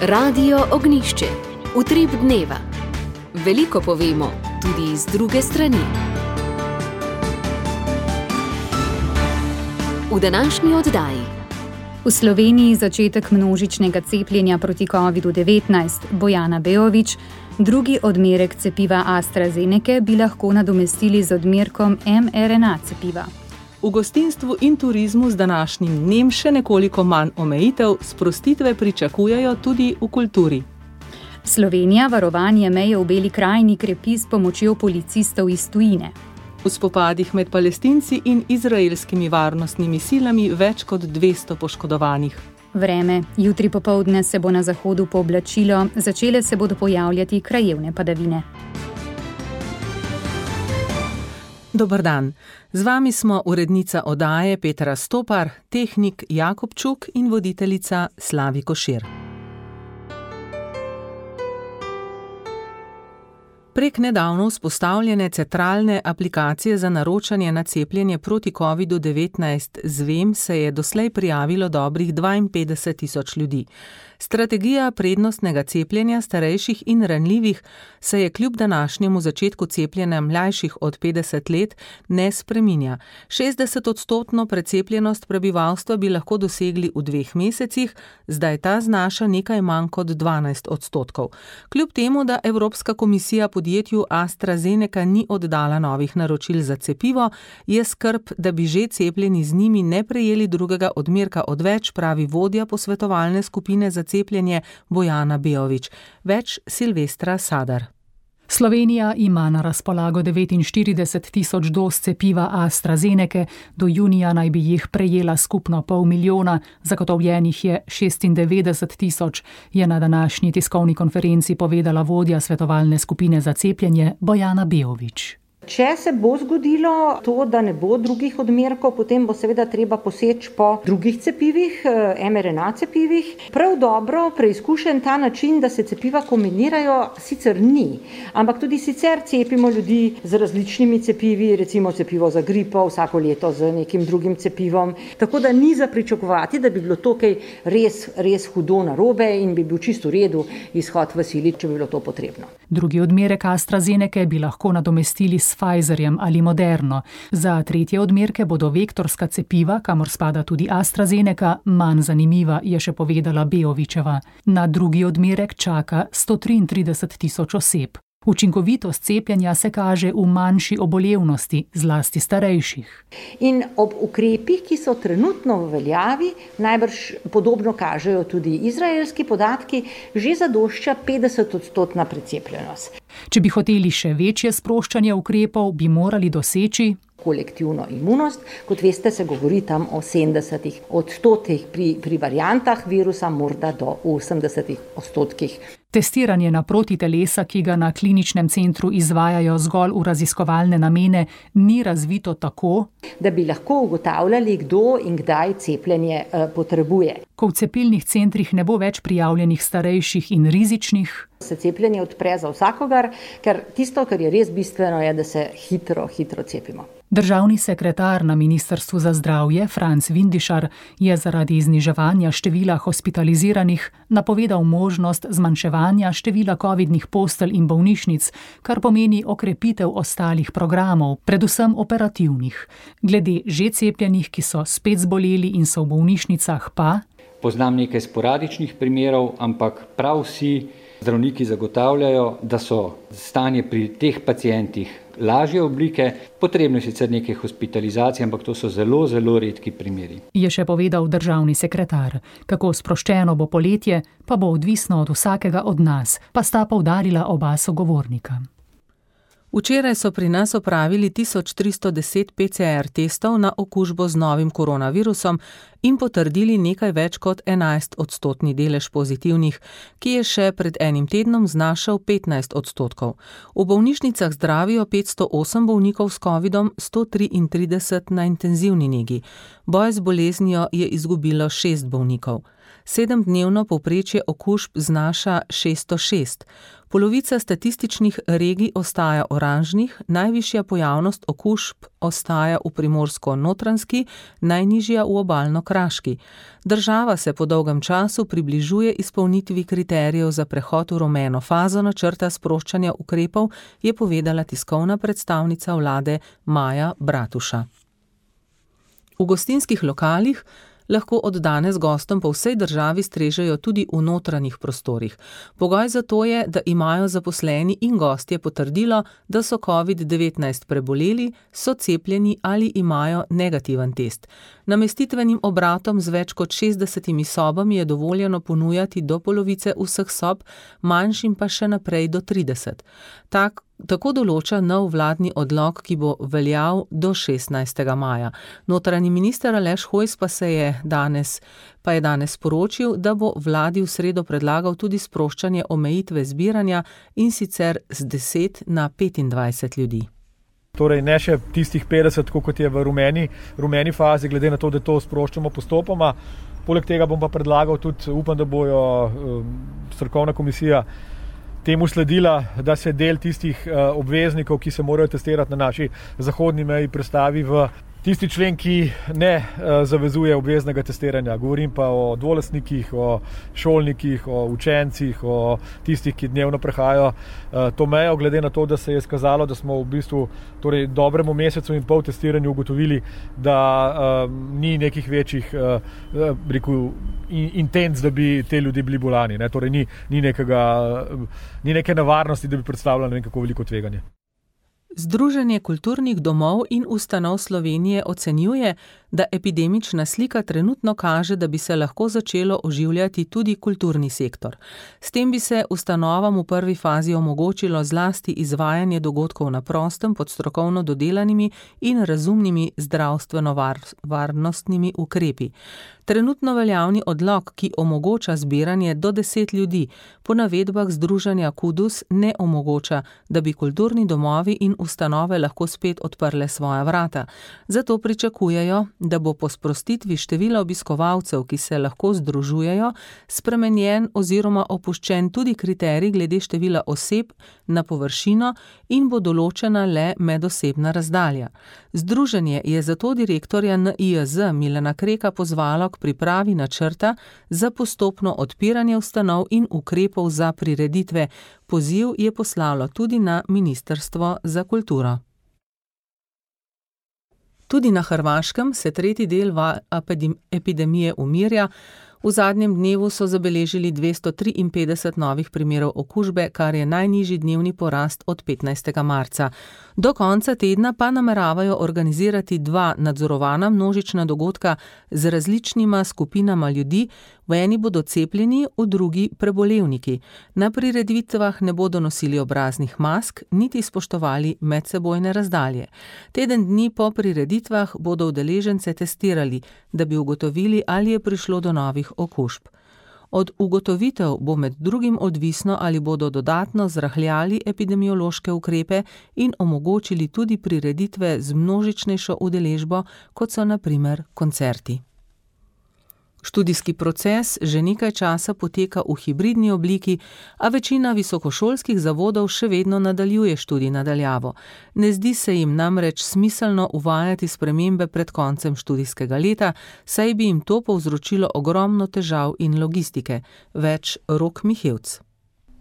Radio Ognjišče. Utrip dneva. Veliko povemo, tudi iz druge strani. V današnji oddaji. V Sloveniji začetek množičnega cepljenja proti COVID-19. Bojana Beović, drugi odmerek cepiva AstraZeneca bi lahko nadomestili z odmerkom mRNA cepiva. V gostinstvu in turizmu z današnjim dnem še nekoliko manj omejitev, sprostitve pričakujejo tudi v kulturi. Slovenija varovanje meje v Beli krajini krepi s pomočjo policistov iz tujine. V spopadih med Palestinci in izraelskimi varnostnimi silami več kot 200 poškodovanih. Vreme. Jutri popoldne se bo na zahodu pooblačilo, začele se bodo pojavljati krajevne padavine. Dober dan. Z vami smo urednica oddaje Petra Stopar, tehnik Jakob Čuk in voditeljica Slavi Košir. Prek nedavno vzpostavljene centralne aplikacije za naročanje na cepljenje proti COVID-19 ZVEM se je doslej prijavilo dobrih 52.000 ljudi. Strategija prednostnega cepljenja starejših in ranljivih se je kljub današnjemu začetku cepljenja mlajših od 50 let ne spreminja. 60% precepljenost prebivalstva bi lahko dosegli v 2 mesecih, zdaj ta znaša nekaj manj kot 12%. Kljub temu, da Evropska komisija podjetju AstraZeneca ni oddala novih naročil za cepivo, je skrb, da bi že cepljeni z njimi ne prejeli drugega odmerka odveč, pravi vodja posvetovalne skupine za cepljenje Bojana Beović. Več Silvestra Sadar. Slovenija ima na razpolago 49.000 doz cepiva AstraZeneca, do junija naj bi jih prejela skupno 500.000, zagotovljenih je 96.000, je na današnji tiskovni konferenci povedala vodja svetovalne skupine za cepljenje Bojana Beović. Če se bo zgodilo to, da ne bo drugih odmerkov, potem bo seveda treba poseči po drugih cepivih, mRNA cepivih. Prav dobro preizkušen ta način, da se cepiva kombinirajo, sicer ni, ampak tudi sicer cepimo ljudi z različnimi cepivi, recimo cepivo za gripo, vsako leto z nekim drugim cepivom. Tako da ni za pričakovati, da bi bilo to kaj res hudo narobe in bi bil čisto v redu izhod v sili, če bi bilo to potrebno. Drugi odmerek AstraZeneca bi lahko nadomestili s Pfizerjem ali Moderno. Za tretje odmerke bodo vektorska cepiva, kamor spada tudi AstraZeneca, manj zanimiva, je še povedala Beovićeva. Na drugi odmerek čaka 133.000 oseb. Učinkovitost cepljenja se kaže v manjši obolevnosti, zlasti starejših. In ob ukrepih, ki so trenutno v veljavi, najbrž podobno kažejo tudi izraelski podatki, že zadošča 50% precepljenost. Če bi hoteli še večje sproščanje ukrepov, bi morali doseči kolektivno imunost. Kot veste, se govori tam o 70% pri variantah virusa, morda do 80%. Testiranje na protitelesa, ki ga na kliničnem centru izvajajo zgolj v raziskovalne namene, ni razvito tako, da bi lahko ugotavljali, kdo in kdaj cepljenje potrebuje. Ko v cepilnih centrih ne bo več prijavljenih starejših in rizičnih, se cepljenje odpre za vsakogar, ker tisto, kar je res bistveno, je, da se hitro cepimo. Državni sekretar na Ministrstvu za zdravje, Franc Vindišar, je zaradi zniževanja števila hospitaliziranih napovedal možnost zmanjševanja števila covidnih postelj in bolnišnic, kar pomeni okrepitev ostalih programov, predvsem operativnih. Glede že cepljenih, ki so spet zboleli in so v bolnišnicah, pa poznam nekaj sporadičnih primerov, ampak prav vsi zdravniki zagotavljajo, da so stanje pri teh pacientih lažje oblike, potrebno je sicer nekaj hospitalizacij, ampak to so zelo redki primeri. Je še povedal državni sekretar. Kako sproščeno bo poletje, pa bo odvisno od vsakega od nas, pa sta poudarila oba sogovornika. Včeraj so pri nas opravili 1310 PCR testov na okužbo z novim koronavirusom in potrdili nekaj več kot 11% delež pozitivnih, ki je še pred enim tednom znašal 15%. V bolnišnicah zdravijo 508 bolnikov s covidom, 133 na intenzivni negi. Boj z boleznijo je izgubilo 6 bolnikov. 7-dnevno povprečje okužb znaša 606. Polovica statističnih regij ostaja oranžnih, najvišja pojavnost okužb ostaja v Primorsko-Notranjski, najnižja v Obalno-Kraški. Država se po dolgem času približuje izpolnitvi kriterijev za prehod v rumeno fazo načrta sproščanja ukrepov, je povedala tiskovna predstavnica vlade Maja Bratuša. V gostinskih lokalih lahko od danes gostom po vsej državi strežejo tudi v notranjih prostorih. Pogoj za to je, da imajo zaposleni in gostje potrdilo, da so COVID-19 preboleli, so cepljeni ali imajo negativen test. Namestitvenim obratom z več kot 60 sobami je dovoljeno ponujati do polovice vseh sob, manjšim pa še naprej do 30. Tako določa nov vladni odlok, ki bo veljal do 16. maja. Notranji minister Aleš Hojs pa je danes sporočil, da bo vladi v sredo predlagal tudi sproščanje omejitve zbiranja, in sicer z 10 na 25 ljudi. Torej ne še tistih 50, kot je v rumeni fazi, glede na to, da to sproščamo postopoma. Poleg tega bom pa predlagal tudi, upam, da bojo strokovna komisija temu sledila, da se del tistih obveznikov, ki se morajo testirati na naši zahodni meji, prestavi v tisti člen, ki ne zavezuje obveznega testiranja. Govorim pa o dvolastnikih, o šolnikih, o učencih, o tistih, ki dnevno prehajajo to mejo, glede na to, da se je skazalo, da smo v bistvu dobremu mesecu in pol testiranju ugotovili, da ni nekih večjih intenc, da bi te ljudi bili bolani. Torej ni neke nevarnosti, da bi predstavljalo ne vem kako veliko tveganje. Združenje kulturnih domov in ustanov Slovenije ocenjuje, da epidemična slika trenutno kaže, da bi se lahko začelo oživljati tudi kulturni sektor. S tem bi se ustanovam v prvi fazi omogočilo zlasti izvajanje dogodkov na prostem pod strokovno dodelanimi in razumnimi zdravstveno-varnostnimi ukrepi. Trenutno veljavni odlok, ki omogoča zbiranje do 10 ljudi, po navedbah združenja KUDUS ne omogoča, da bi kulturni domovi in ustanove lahko spet odprle svoja vrata. Zato pričakujejo, da bo po sprostitvi števila obiskovalcev, ki se lahko združujejo, spremenjen oziroma opuščen tudi kriterij glede števila oseb na površino in bo določena le medosebna razdalja. Združenje je zato direktorja NIJZ Milana Kreka pozvalo k pripravi načrta za postopno odpiranje ustanov in ukrepov za prireditve. Poziv je poslalo tudi na Ministrstvo za kulturo. Tudi na Hrvaškem se tretji del epidemije umirja. V zadnjem dnevu so zabeležili 253 novih primerov okužbe, kar je najnižji dnevni porast od 15. marca. Do konca tedna pa nameravajo organizirati 2 nadzorovana množična dogodka z različnima skupinama ljudi, v eni bodo cepljeni, v drugi prebolevniki. Na prireditvah ne bodo nosili obraznih mask, niti spoštovali medsebojne razdalje. Teden dni po prireditvah bodo udeležence testirali, da bi ugotovili, ali je prišlo do novih okužb. Od ugotovitev bo med drugim odvisno, ali bodo dodatno zrahljali epidemiološke ukrepe in omogočili tudi prireditve z množičnejšo udeležbo, kot so na primer koncerti. Študijski proces že nekaj časa poteka v hibridni obliki, a večina visokošolskih zavodov še vedno nadaljuje študij na daljavo. Ne zdi se jim namreč smiselno uvajati spremembe pred koncem študijskega leta, saj bi jim to povzročilo ogromno težav in logistike. Več Rok Mihevc.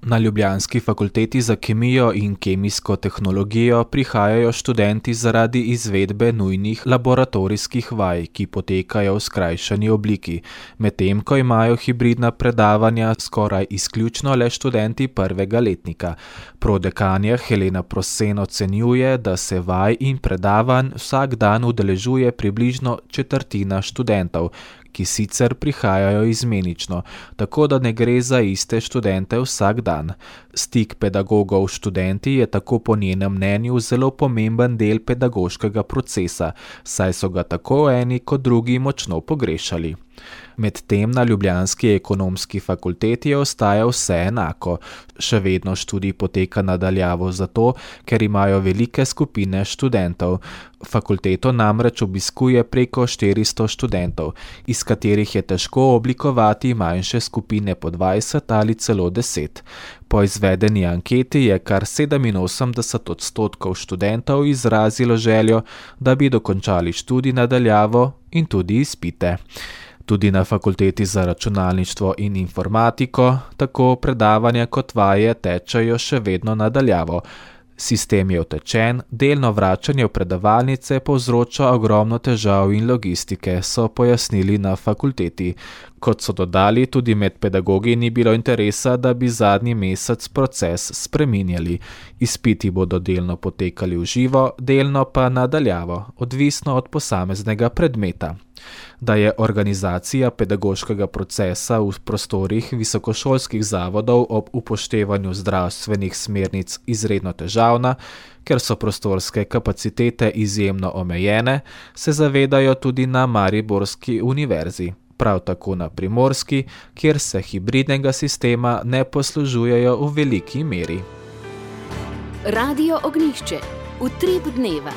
Na ljubljanski fakulteti za kemijo in kemijsko tehnologijo prihajajo študenti zaradi izvedbe nujnih laboratorijskih vaj, ki potekajo v skrajšani obliki, medtem ko imajo hibridna predavanja skoraj izključno le študenti prvega letnika. Prodekanja Helena Prosen ocenjuje, da se vaj in predavanj vsak dan udeležuje približno četrtina študentov, ki sicer prihajajo izmenično, tako da ne gre za iste študente vsak dan. Stik pedagogov s študenti je tako po njenem mnenju zelo pomemben del pedagoškega procesa, saj so ga tako eni kot drugi močno pogrešali. Medtem na ljubljanski ekonomski fakulteti ostaja vse enako. Še vedno študij poteka nadaljavo zato, ker imajo velike skupine študentov. Fakulteto namreč obiskuje preko 400 študentov, iz katerih je težko oblikovati manjše skupine po 20 ali celo 10. Po izvedeni anketi je kar 87% študentov izrazilo željo, da bi dokončali študij nadaljavo in tudi izpite. Tudi na fakulteti za računalništvo in informatiko tako predavanja kot vaje tečejo še vedno nadaljavo. Sistem je utečen, delno vračanje v predavalnice povzroča ogromno težav in logistike, so pojasnili na fakulteti. Kot so dodali, tudi med pedagogi ni bilo interesa, da bi zadnji mesec proces spreminjali. Izpiti bodo delno potekali v živo, delno pa nadaljavo, odvisno od posameznega predmeta. Da je organizacija pedagoškega procesa v prostorih visokošolskih zavodov ob upoštevanju zdravstvenih smernic izredno težavna, ker so prostorske kapacitete izjemno omejene, se zavedajo tudi na Mariborski univerzi. Prav tako na Primorski, kjer se hibridnega sistema ne poslužujejo v veliki meri. Radio Ognjišče. Utrip dneva.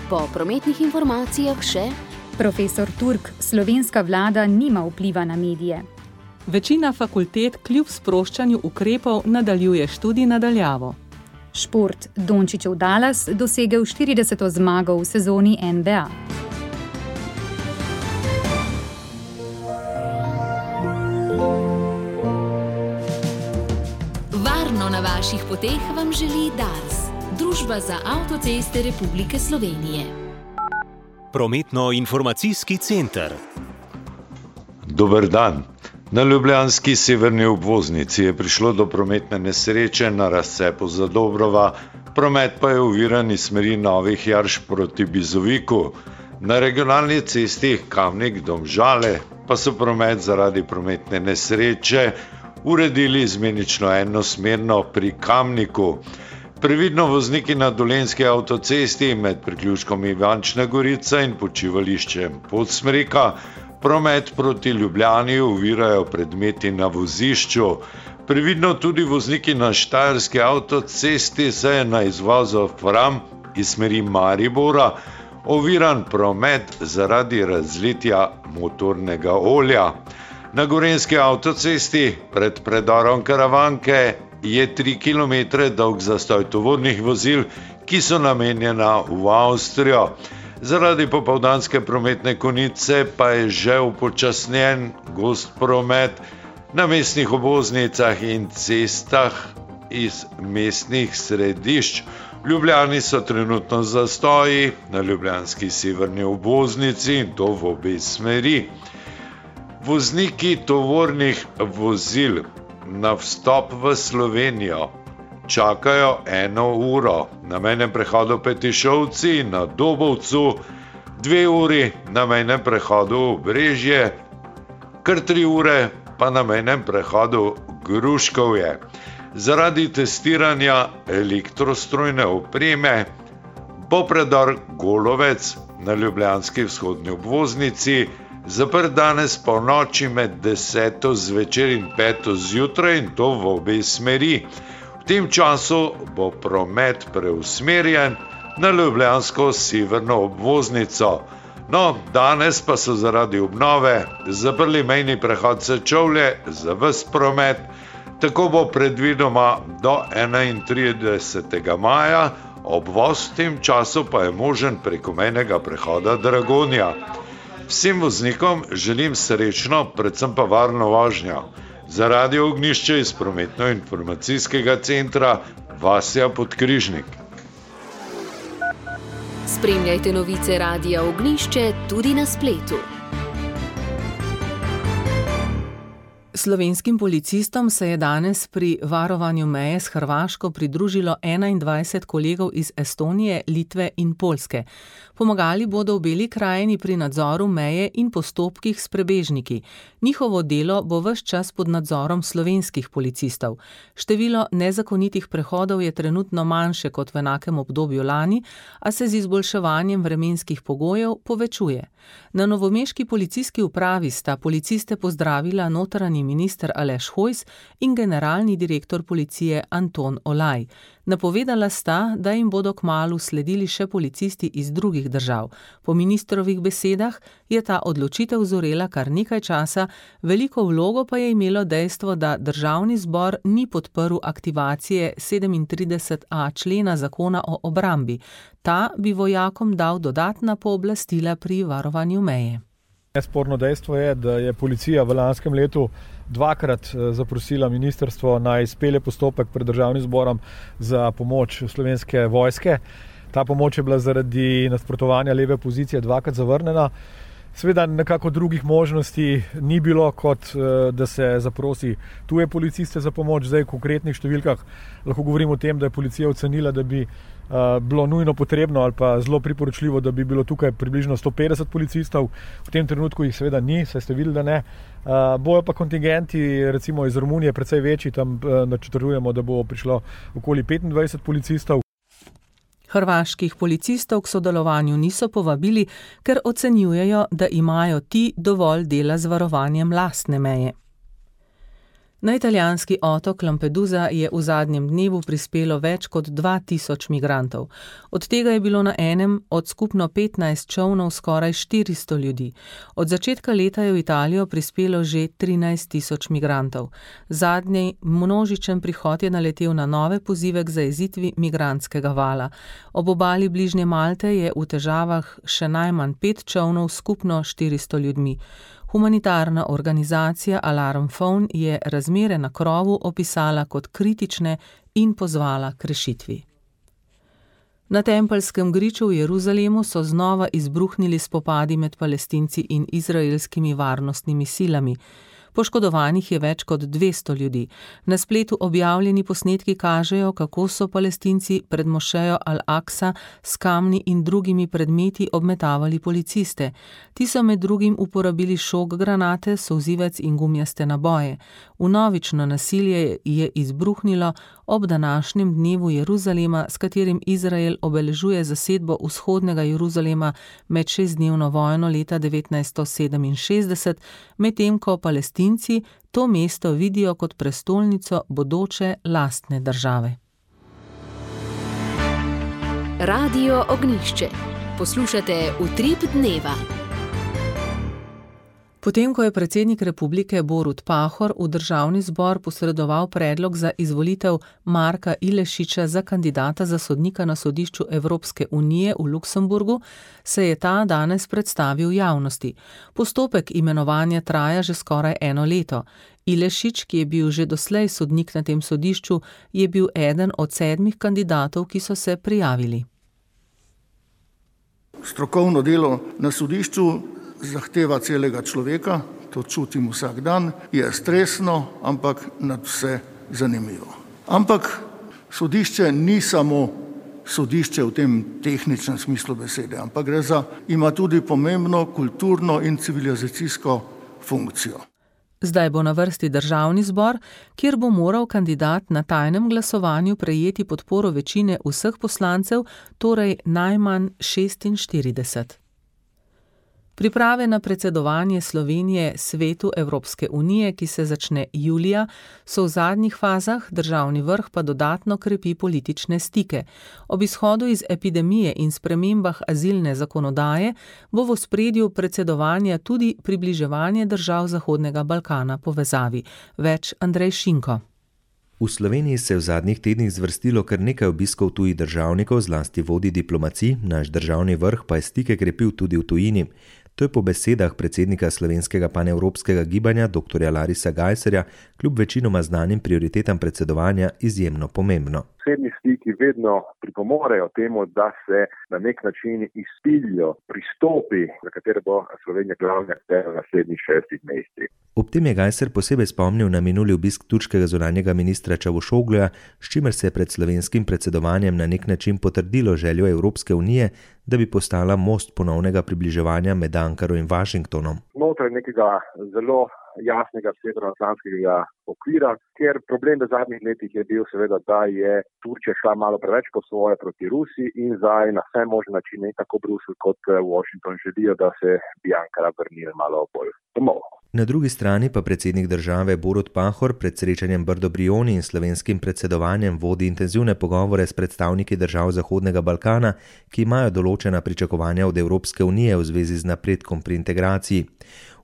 Po prometnih informacijah še Profesor Turk, slovenska vlada nima vpliva na medije. Večina fakultet kljub sproščanju ukrepov nadaljuje študij nadaljavo. Šport. Dončićev Dallas dosegel 40. zmago v sezoni NBA. Varno na vaših poteh vam želi Dars, Družba za avtoceste Republike Slovenije. Prometno-informacijski center. Dober dan. Na ljubljanski severni obvoznici je prišlo do prometne nesreče na razcepu Zadobrova, promet pa je oviran iz smeri Novih Jarš proti Bizoviku. Na regionalni cesti Kamnik-Domžale pa so promet zaradi prometne nesreče uredili izmenično enosmerno pri Kamniku. Previdno vozniki na Dolenjski avtocesti med priključkom Ivančna Gorica in počivališčem Podsmreka promet proti Ljubljani ovirajo predmeti na vozišču. Previdno tudi vozniki na Štajerski avtocesti, saj je na izvozu Fram iz smeri Maribora oviran promet zaradi razlitja motornega olja. Na Gorenjski avtocesti pred predorom Karavanke je 3 km dolg zastoj tovornih vozil, ki so namenjena v Avstrijo. Zaradi popoldanske prometne konice pa je že upočasnjen gost promet na mestnih obvoznicah in cestah iz mestnih središč. V Ljubljani so trenutno zastoji na ljubljanski severni obvoznici in to v obe smeri. Vozniki tovornih vozil na vstop v Slovenijo čakajo 1 uro, na mejnem prehodu Petišovci in na Dobovcu 2 uri, na mejnem prehodu Obrežje, kar 3 ure pa na mejnem prehodu Gruškovje. Zaradi testiranja elektrostrojne opreme bo predor Golovec na ljubljanski vzhodni obvoznici zaprt danes polnoči med 10. zvečer in 5. zjutraj in to v obe smeri. V tem času bo promet preusmerjen na ljubljansko severno obvoznico. No, danes pa so zaradi obnove zaprli mejni prehod Sečovlje za ves promet, tako bo predvidoma do 31. maja, obvoz v tem času pa je možen preko mejnega prehoda Dragonja. Vsem voznikom želim srečno, predvsem pa varno vožnjo. Za Radio Ognjišče iz prometno-informacijskega centra Vasja Podkrižnik. Spremljajte novice Radia Ognjišče tudi na spletu. Slovenskim policistom se je danes pri varovanju meje s Hrvaško pridružilo 21 kolegov iz Estonije, Litve in Poljske. Pomagali bodo v Beli krajini pri nadzoru meje in postopkih s prebežniki. Njihovo delo bo ves čas pod nadzorom slovenskih policistov. Število nezakonitih prehodov je trenutno manjše kot v enakem obdobju lani, a se z izboljševanjem vremenskih pogojev povečuje. Na novomeški policijski upravi sta policiste pozdravila notranji minister Aleš Hojs in generalni direktor policije Anton Olaj. Napovedala sta, da jim bodo kmalu sledili še policisti iz drugih držav. Po ministrovih besedah je ta odločitev zorela kar nekaj časa, veliko vlogo pa je imelo dejstvo, da Državni zbor ni podprl aktivacije 37a člena zakona o obrambi. Ta bi vojakom dal dodatna pooblastila pri varovanju meje. Nesporno dejstvo je, da je policija v lanskem letu dvakrat zaprosila ministrstvo naj izpelje postopek pred Državnim zborom za pomoč Slovenske vojske. Ta pomoč je bila zaradi nasprotovanja leve opozicije dvakrat zavrnjena. Seveda nekako drugih možnosti ni bilo, kot da se zaprosi tuje policiste za pomoč. Zdaj v konkretnih številkah lahko govorimo o tem, da je policija ocenila, da bi bilo nujno potrebno ali pa zelo priporočljivo, da bi bilo tukaj približno 150 policistov. V tem trenutku jih seveda ni, saj ste videli, da ne. Bojo pa kontingenti recimo iz Romunije precej večji, tam načrtujemo, da bo prišlo okoli 25 policistov. Hrvaških policistov k sodelovanju niso povabili, ker ocenjujejo, da imajo ti dovolj dela z varovanjem lastne meje. Na italijanski otok Lampedusa je v zadnjem dnevu prispelo več kot 2000 migrantov. Od tega je bilo na enem od skupno 15 čolnov skoraj 400 ljudi. Od začetka leta je v Italijo prispelo že 13 000 migrantov. Zadnji množičen prihod je naletel na nove pozive k zajezitvi migrantskega vala. Ob obali bližnje Malte je v težavah še najmanj 5 čolnov skupno 400 ljudmi. Humanitarna organizacija Alarm Phone je razmere na krovu opisala kot kritične in pozvala k rešitvi. Na Tempeljskem griču v Jeruzalemu so znova izbruhnili spopadi med Palestinci in izraelskimi varnostnimi silami. Poškodovanih je več kot 200 ljudi. Na spletu objavljeni posnetki kažejo, kako so Palestinci pred mošejo Al-Aqsa s kamni in drugimi predmeti obmetavali policiste. Ti so med drugim uporabili šok granate, solzivec in gumijaste naboje. Vnovično nasilje je izbruhnilo ob današnjem dnevu Jeruzalema, s katerim Izrael obeležuje zasedbo vzhodnega Jeruzalema med 6-dnevno vojno leta 1967, medtem ko Palestinci to mesto vidijo kot prestolnico bodoče lastne države. Radio Ognjišče. Poslušate Utrip dneva. Potem, ko je predsednik republike Borut Pahor v Državni zbor posredoval predlog za izvolitev Marka Ilešiča za kandidata za sodnika na sodišču Evropske unije v Luksemburgu, se je ta danes predstavil javnosti. Postopek imenovanja traja že skoraj 1 leto. Ilešič, ki je bil že doslej sodnik na tem sodišču, je bil eden od 7 kandidatov, ki so se prijavili. Strokovno delo na sodišču zahteva celega človeka, to čutim vsak dan, je stresno, ampak nad vse zanimivo. Ampak sodišče ni samo sodišče v tem tehničnem smislu besede, ampak ima tudi pomembno kulturno in civilizacijsko funkcijo. Zdaj bo na vrsti Državni zbor, kjer bo moral kandidat na tajnem glasovanju prejeti podporo večine vseh poslancev, torej najmanj 46. Priprave na predsedovanje Slovenije Svetu Evropske unije, ki se začne julija, so v zadnjih fazah, državni vrh pa dodatno krepi politične stike. Ob izhodu iz epidemije in spremembah azilne zakonodaje bo v ospredju predsedovanja tudi približevanje držav Zahodnega Balkana povezavi. Več Andrej Šinko. V Sloveniji se je v zadnjih tednih zvrstilo kar nekaj obiskov tujih državnikov, zlasti vodij diplomacij, naš državni vrh pa je stike krepil tudi v tujini. To je po besedah predsednika slovenskega panevropskega gibanja dr. Larisa Gajserja kljub večinoma znanim prioritetam predsedovanja izjemno pomembno. osebni stiki vedno pripomorejo temu, da se na nek način izpiljijo pristopi, za katere bo Slovenija glavni akter v naslednjih 6 mesecih. Ob tem je Gajser posebej spomnil na minuli obisk turškega zunanjega ministra Čavuşogluja, s čimer se je pred slovenskim predsedovanjem na nek način potrdilo željo Evropske unije, da bi postala most ponovnega približevanja med Ankaro in Washingtonom. Znotraj nekega zelo jasnega severnoatlantskega okvira, ker problem v zadnjih letih je bil seveda, da je Turčija šla malo preveč po svoje proti Rusiji in zdaj na vse možne načine tako Bruselj kot Washington želijo, da se bi Ankara vrnila malo bolj domov. Na drugi strani pa predsednik države Borut Pahor pred srečanjem Brdo-Brioni in slovenskim predsedovanjem vodi intenzivne pogovore s predstavniki držav Zahodnega Balkana, ki imajo določena pričakovanja od Evropske unije v zvezi z napredkom pri integraciji.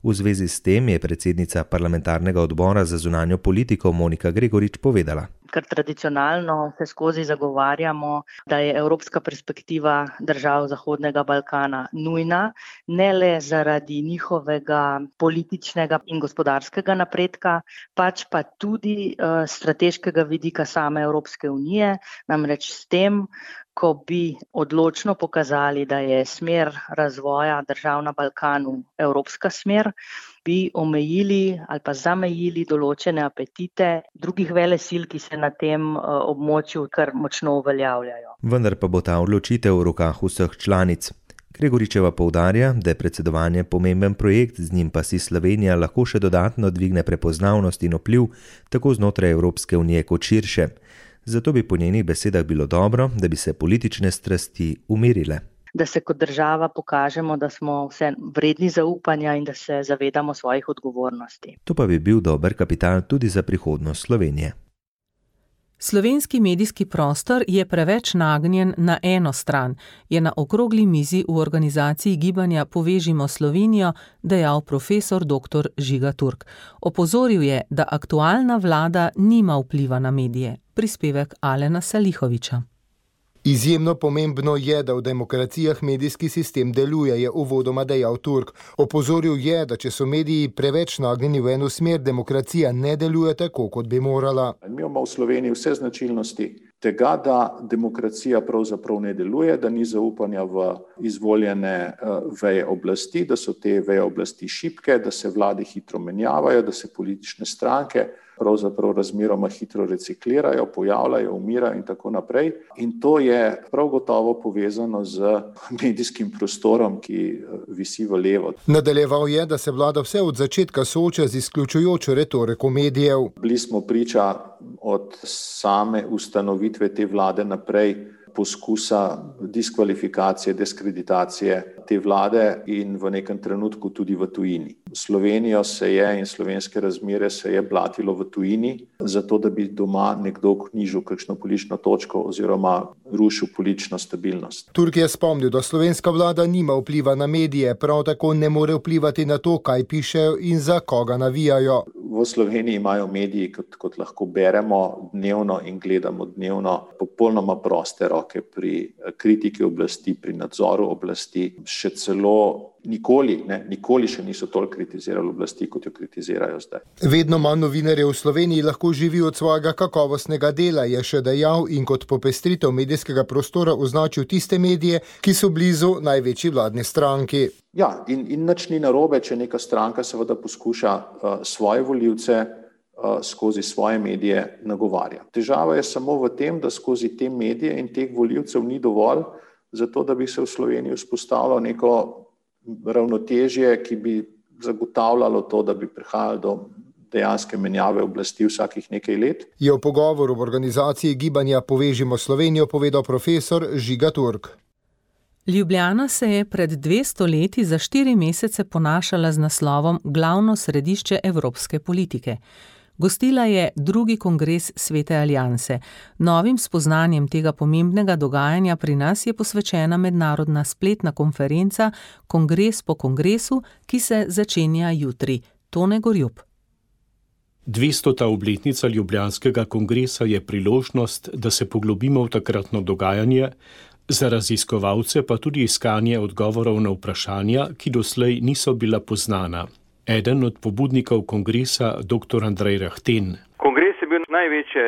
V zvezi s tem je predsednica parlamentarnega odbora za zunanjo politiko Monika Gregorič povedala. Ker tradicionalno se skozi zagovarjamo, da je evropska perspektiva držav Zahodnega Balkana nujna, ne le zaradi njihovega političnega in gospodarskega napredka, pač pa tudi strateškega vidika same Evropske unije, namreč s tem, ko bi odločno pokazali, da je smer razvoja držav na Balkanu evropska smer, bi omejili ali pa zamejili določene apetite drugih velesil, ki se na tem območju kar močno uveljavljajo. Vendar pa bo ta odločitev v rokah vseh članic. Gregoričeva poudarja, da je predsedovanje pomemben projekt, z njim pa si Slovenija lahko še dodatno dvigne prepoznavnost in vpliv tako znotraj Evropske unije kot širše. Zato bi po njenih besedah bilo dobro, da bi se politične strasti umirile. Da se kot država pokažemo, da smo vse vredni zaupanja in da se zavedamo svojih odgovornosti. To pa bi bil dober kapital tudi za prihodnost Slovenije. Slovenski medijski prostor je preveč nagnjen na eno stran, je na okrogli mizi v organizaciji gibanja Povežimo Slovenijo dejal profesor dr. Žiga Turk. Opozoril je, da aktualna vlada nima vpliva na medije. Prispevek Alena Salihoviča. Izjemno pomembno je, da v demokracijah medijski sistem deluje, je uvodoma dejal Turk. Opozoril je, da če so mediji preveč nagnjeni v eno smer, demokracija ne deluje tako, kot bi morala. Mi imamo v Sloveniji vse značilnosti tega, da demokracija pravzaprav ne deluje, da ni zaupanja v izvoljene veje oblasti, da so te veje oblasti šibke, da se vlade hitro menjavajo, da se politične stranke pravzaprav razmeroma hitro reciklirajo, pojavljajo, umirajo in tako naprej. In to je prav gotovo povezano z medijskim prostorom, ki visi v levo. Nadaljeval je, da se vlada vse od začetka sooča z izključujočo retoriko medijev. Bili smo priča od same ustanovitve te vlade naprej poskusa diskvalifikacije, diskreditacije te vlade in v nekem trenutku tudi v tujini. Slovenijo se je in slovenske razmere se je blatilo v tujini, zato da bi doma nekdo knjižil kakšno politično točko oziroma rušil politično stabilnost. Turk je spomnil, da slovenska vlada nima vpliva na medije, prav tako ne more vplivati na to, kaj pišejo in za koga navijajo. V Sloveniji imajo mediji, kot lahko beremo dnevno in gledamo dnevno, popolnoma proste roke pri kritiki oblasti, pri nadzoru oblasti. Še celo nikoli še niso toliko kritizirali oblasti, kot jo kritizirajo zdaj. Vedno manj novinarjev v Sloveniji lahko živi od svojega kakovostnega dela, je še dejal in kot popestritev medijskega prostora označil tiste medije, ki so blizu največji vladni stranki. Ja, in nič ni narobe, če neka stranka seveda poskuša svoje volivce skozi svoje medije nagovarja. Težava je samo v tem, da skozi te medije in teh volivcev ni dovolj, zato da bi se v Sloveniji vzpostavilo neko ravnotežje, ki bi zagotavljalo to, da bi prihajalo do dejanske menjave oblasti vsakih nekaj let. Je v pogovoru v organizaciji gibanja Povežimo Slovenijo povedal profesor Žiga Turk. Ljubljana se je pred 200 leti za 4 mesece ponašala z naslovom Glavno središče evropske politike. Gostila je 2. kongres Svete alianse. Novim spoznanjem tega pomembnega dogajanja pri nas je posvečena mednarodna spletna konferenca Kongres po kongresu, ki se začenja jutri. Tone Gorjup. 200. obletnica Ljubljanskega kongresa je priložnost, da se poglobimo v takratno dogajanje, za raziskovalce pa tudi iskanje odgovorov na vprašanja, ki doslej niso bila poznana. Eden od pobudnikov kongresa, dr. Andrej Rahten. Kongres je bil največje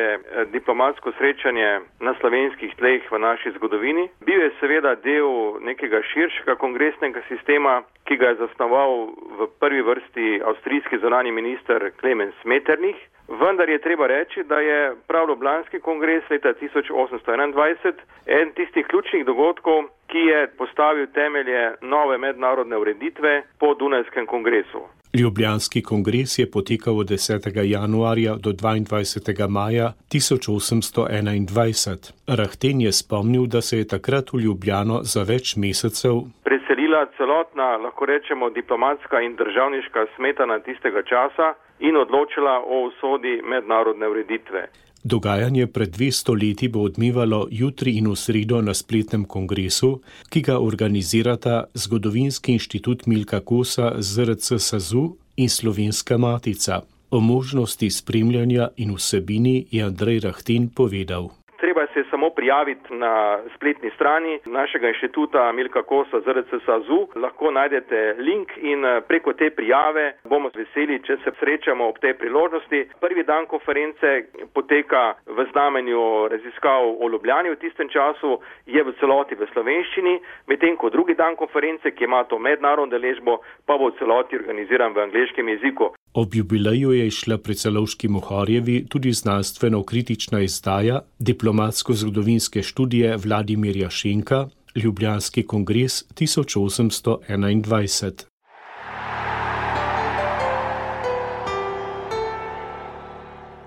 diplomatsko srečanje na slovenskih tleh v naši zgodovini. Bil je seveda del nekega širšega kongresnega sistema, ki ga je zasnoval v prvi vrsti avstrijski zunanji minister Klemens Metternich. Vendar je treba reči, da je prav Ljubljanski kongres leta 1821 eden tistih ključnih dogodkov, ki je postavil temelje nove mednarodne ureditve po Dunajskem kongresu. Ljubljanski kongres je potekal od 10. januarja do 22. maja 1821. Rahten je spomnil, da se je takrat v Ljubljano za več mesecev preselila celotna, lahko rečemo, diplomatska in državniška smetana tistega časa in odločila o usodi mednarodne ureditve. Dogajanje pred 200 leti bo odmevalo jutri in v sredo na spletnem kongresu, ki ga organizirata Zgodovinski inštitut Milka Kosa, ZRC SAZU in Slovenska matica. O možnosti spremljanja in vsebini je Andrej Rahten povedal. Treba se samo prijaviti na spletni strani našega inštituta Milka Kosa ZRC SAZU. Lahko najdete link in preko te prijave bomo veseli, če se srečamo ob tej priložnosti. Prvi dan konference poteka v znamenju raziskav o Ljubljani v tistem času, je v celoti v slovenščini, medtem ko drugi dan konference, ki ima to mednarodno deležbo, pa bo v celoti organiziran v angleškem jeziku. Ob jubileju je išla pri Celovški Mohorjevi tudi znanstveno-kritična izdaja diplomatsko-zgodovinske študije Vladimirja Šenka, Ljubljanski kongres 1821.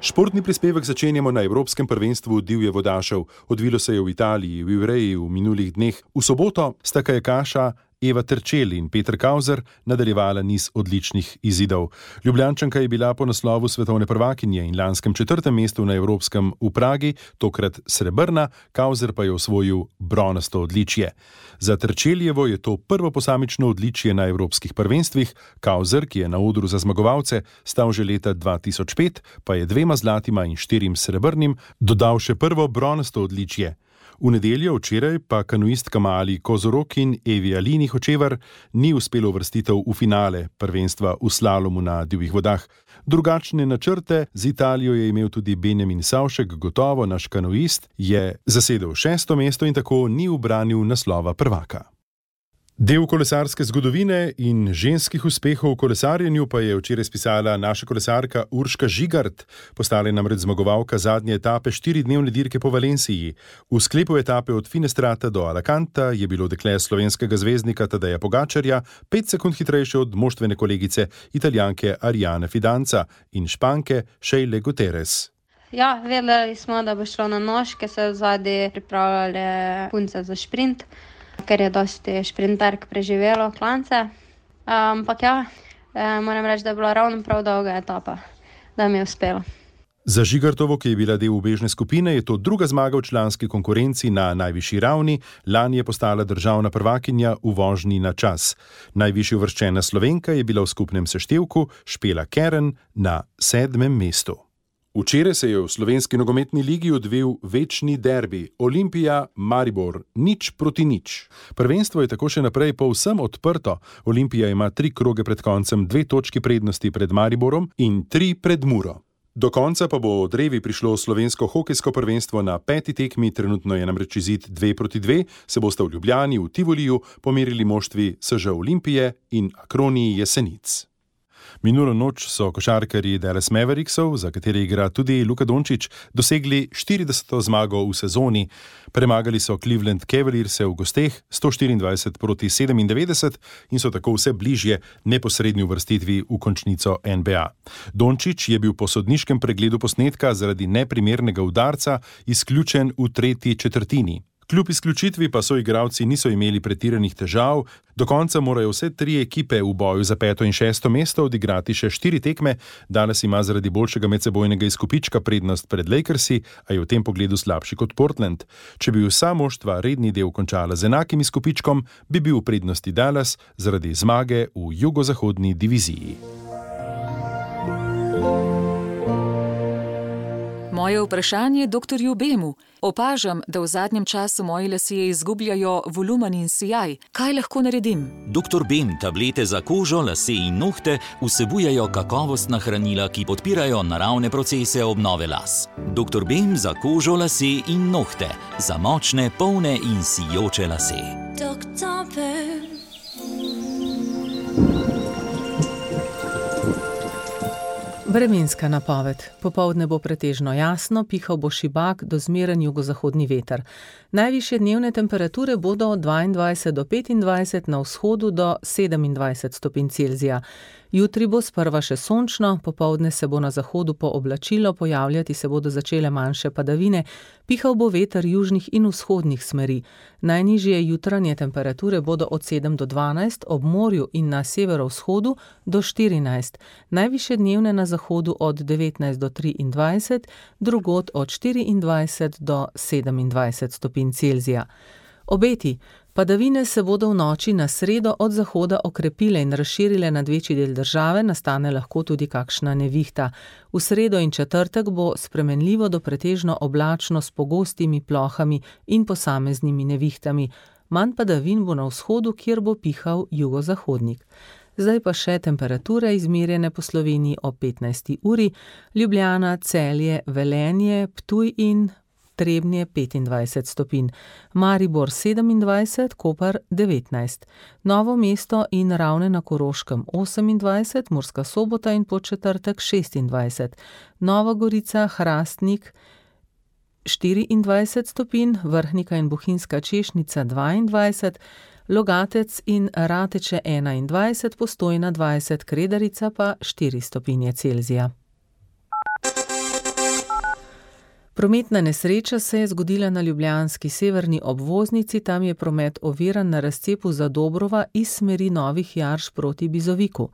Športni prispevek začenjamo na Evropskem prvenstvu divje vodašev. Odvilo se je v Italiji, v Ivreji v minulih dneh. V soboto sta kajakaša Eva Terčelj in Peter Kauzer nadaljevala niz odličnih izidov. Ljubljančanka je bila po naslovu svetovne prvakinje in lanskem 4. mestu na Evropskem v Pragi, tokrat srebrna, Kauzer pa je osvojil bronasto odličje. Za Terčeljevo je to prvo posamično odličje na evropskih prvenstvih, Kauzer, ki je na odru za zmagovalce stal že leta 2005, pa je 2 zlatima in 4 srebrnim dodal še prvo bronasto odličje. V nedeljo včeraj pa kanuistka Mali Kozorok in Evi Alini Hočevar ni uspelo uvrstitev v finale prvenstva v slalomu na divjih vodah. Drugačne načrte z Italijo je imel tudi Benjamin Savšek, gotovo naš kanuist je zasedel 6. mesto in tako ni ubranil naslova prvaka. Del kolesarske zgodovine in ženskih uspehov v kolesarjenju pa je včeraj spisala naša kolesarka Urška Žigart. Postala je namreč zmagovalka zadnje etape 4-dnevne dirke po Valenciji. V sklepu etape od Finestrata do Alacanta je bilo dekle slovenskega zvezdnika Tadeja Pogačarja 5 sekund hitrejše od moštvene kolegice Italijanke Ariane Fidanza in Španke Sheile Guterres. Ja, vedeli smo, da bo šlo na nožke, se vzadi pripravljali punce za šprint, ker je dosti šprinterk preživelo klance. Ampak ja, moram reči, da je bila ravno prav dolga etapa, da mi je uspelo. Za Žigartovo, ki je bila del ubežne skupine, je to druga zmaga v članski konkurenci na najvišji ravni. Lani je postala državna prvakinja v vožnji na čas. Najvišje uvrščena Slovenka je bila v skupnem seštevku Špela Keren na 7. mestu. Včeraj se je v slovenski nogometni ligi odvil večni derbi Olimpija-Maribor 0-0. Prvenstvo je tako še naprej povsem odprto. Olimpija ima 3 kroge pred koncem 2 točki prednosti pred Mariborom in 3 pred Muro. Do konca pa bo od Revi prišlo slovensko hokejsko prvenstvo na 5. tekmi, trenutno je namreč izid 2-2, se bosta v Ljubljani v Tivoliju pomerili moštvi SŽ Olimpije in Akroniji Jesenic. Minulo noč so košarkarji Dallas Mavericksov, za katere igra tudi Luka Dončić, dosegli 40. zmago v sezoni. Premagali so Cleveland Cavaliers v gosteh 124-97 in so tako vse bližje neposrednji uvrstitvi v končnico NBA. Dončić je bil po sodniškem pregledu posnetka zaradi neprimernega udarca izključen v 3. četrtini. Kljub izključitvi pa soigralci niso imeli pretiranih težav, do konca morajo vse 3 ekipe v boju za 5. in 6. mesto odigrati še 4 tekme. Danes ima zaradi boljšega medsebojnega izkupička prednost pred Lakersi, a je v tem pogledu slabši kot Portland. Če bi vsa moštva redni del končala z enakim izkupičkom, bi bil v prednosti Dallas zaradi zmage v jugozahodni diviziji. Moje vprašanje dr. Bemu. Opažam, da v zadnjem času moji lasje izgubljajo volumen in sijaj. Kaj lahko naredim? Dr. Bem tablete za kožo, lase in nohte vsebujejo kakovostna hranila, ki podpirajo naravne procese obnove las. Dr. Bem za kožo, lase in nohte. Za močne, polne in sijoče lase. Dr. Bem. Vremenska napoved. Popoldne bo pretežno jasno, pihal bo šibak do zmeren jugozahodni veter. Najvišje dnevne temperature bodo od 22 do 25, na vzhodu do 27 stopinj Celzija. Jutri bo sprva še sončno, popoldne se bo na zahodu pooblačilo, pojavljati se bodo začele manjše padavine, pihal bo veter južnih in vzhodnih smeri. Najnižje jutranje temperature bodo od 7 do 12, ob morju in na severovzhodu do 14, najvišje dnevne na zahodu od 19 do 23, drugod od 24 do 27 stopinj Celzija. Obeti. Padavine se bodo v noči na sredo od zahoda okrepile in razširile nad večji del države, nastane lahko tudi kakšna nevihta. V sredo in četrtek bo spremenljivo do pretežno oblačno s pogostimi plohami in posameznimi nevihtami. Manj padavin bo na vzhodu, kjer bo pihal jugozahodnik. Zdaj pa še temperature izmerjene po Sloveniji ob 15. uri. Ljubljana, Celje, Velenje, Ptuj in Trebnje 25 stopinj, Maribor 27, Koper 19, Novo mesto in Ravne na Koroškem 28, Murska Sobota in Podčetrtek 26, Nova Gorica, Hrastnik 24 stopinj, Vrhnika in Bohinjska Češnica 22, Logatec in Rateče 21, Postojna 20, Kredarica pa 4 stopinje Celzija. Prometna nesreča se je zgodila na ljubljanski severni obvoznici, tam je promet oviran na razcepu Zadobrova iz smeri Novih Jarš proti Bizoviku.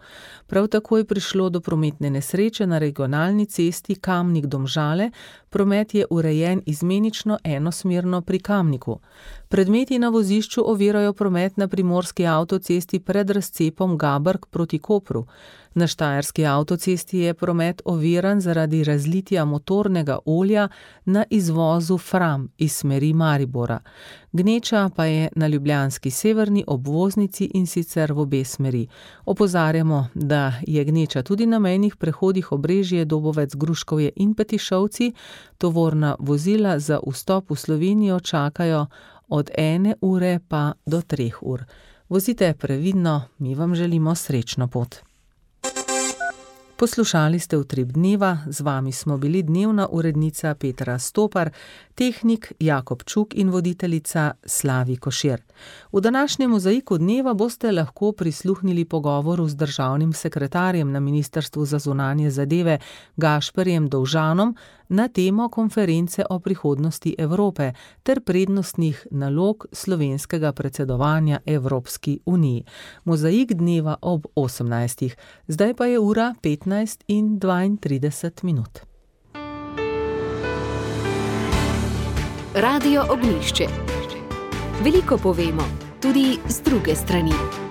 Prav tako je prišlo do prometne nesreče na regionalni cesti Kamnik-Domžale, promet je urejen izmenično enosmerno pri Kamniku. Predmeti na vozišču ovirajo promet na primorski avtocesti pred razcepom Gabrk proti Kopru. Na štajerski avtocesti je promet oviran zaradi razlitja motornega olja na izvozu Fram iz smeri Maribora. Gneča pa je na ljubljanski severni obvoznici in sicer v obe smeri. Opozarjamo, da je gneča tudi na mejnih prehodih Obrežje, Dobovec, Gruškovje in Petišovci. Tovorna vozila za vstop v Slovenijo čakajo od 1 ure pa do 3 ur. Vozite previdno, mi vam želimo srečno pot. Poslušali ste Utrip dneva, z vami smo bili dnevna urednica Petra Stopar, tehnik Jakob Čuk in voditeljica Slavi Košir. V današnjem mozaiku dneva boste lahko prisluhnili pogovoru z državnim sekretarjem na Ministrstvu za zunanje zadeve Gašperjem Dovžanom na temo konference o prihodnosti Evrope ter prednostnih nalog slovenskega predsedovanja Evropski uniji. Mozaik dneva ob 18. Zdaj pa je ura 15:32. Radio Ognjišče. Veliko povemo, tudi z druge strani.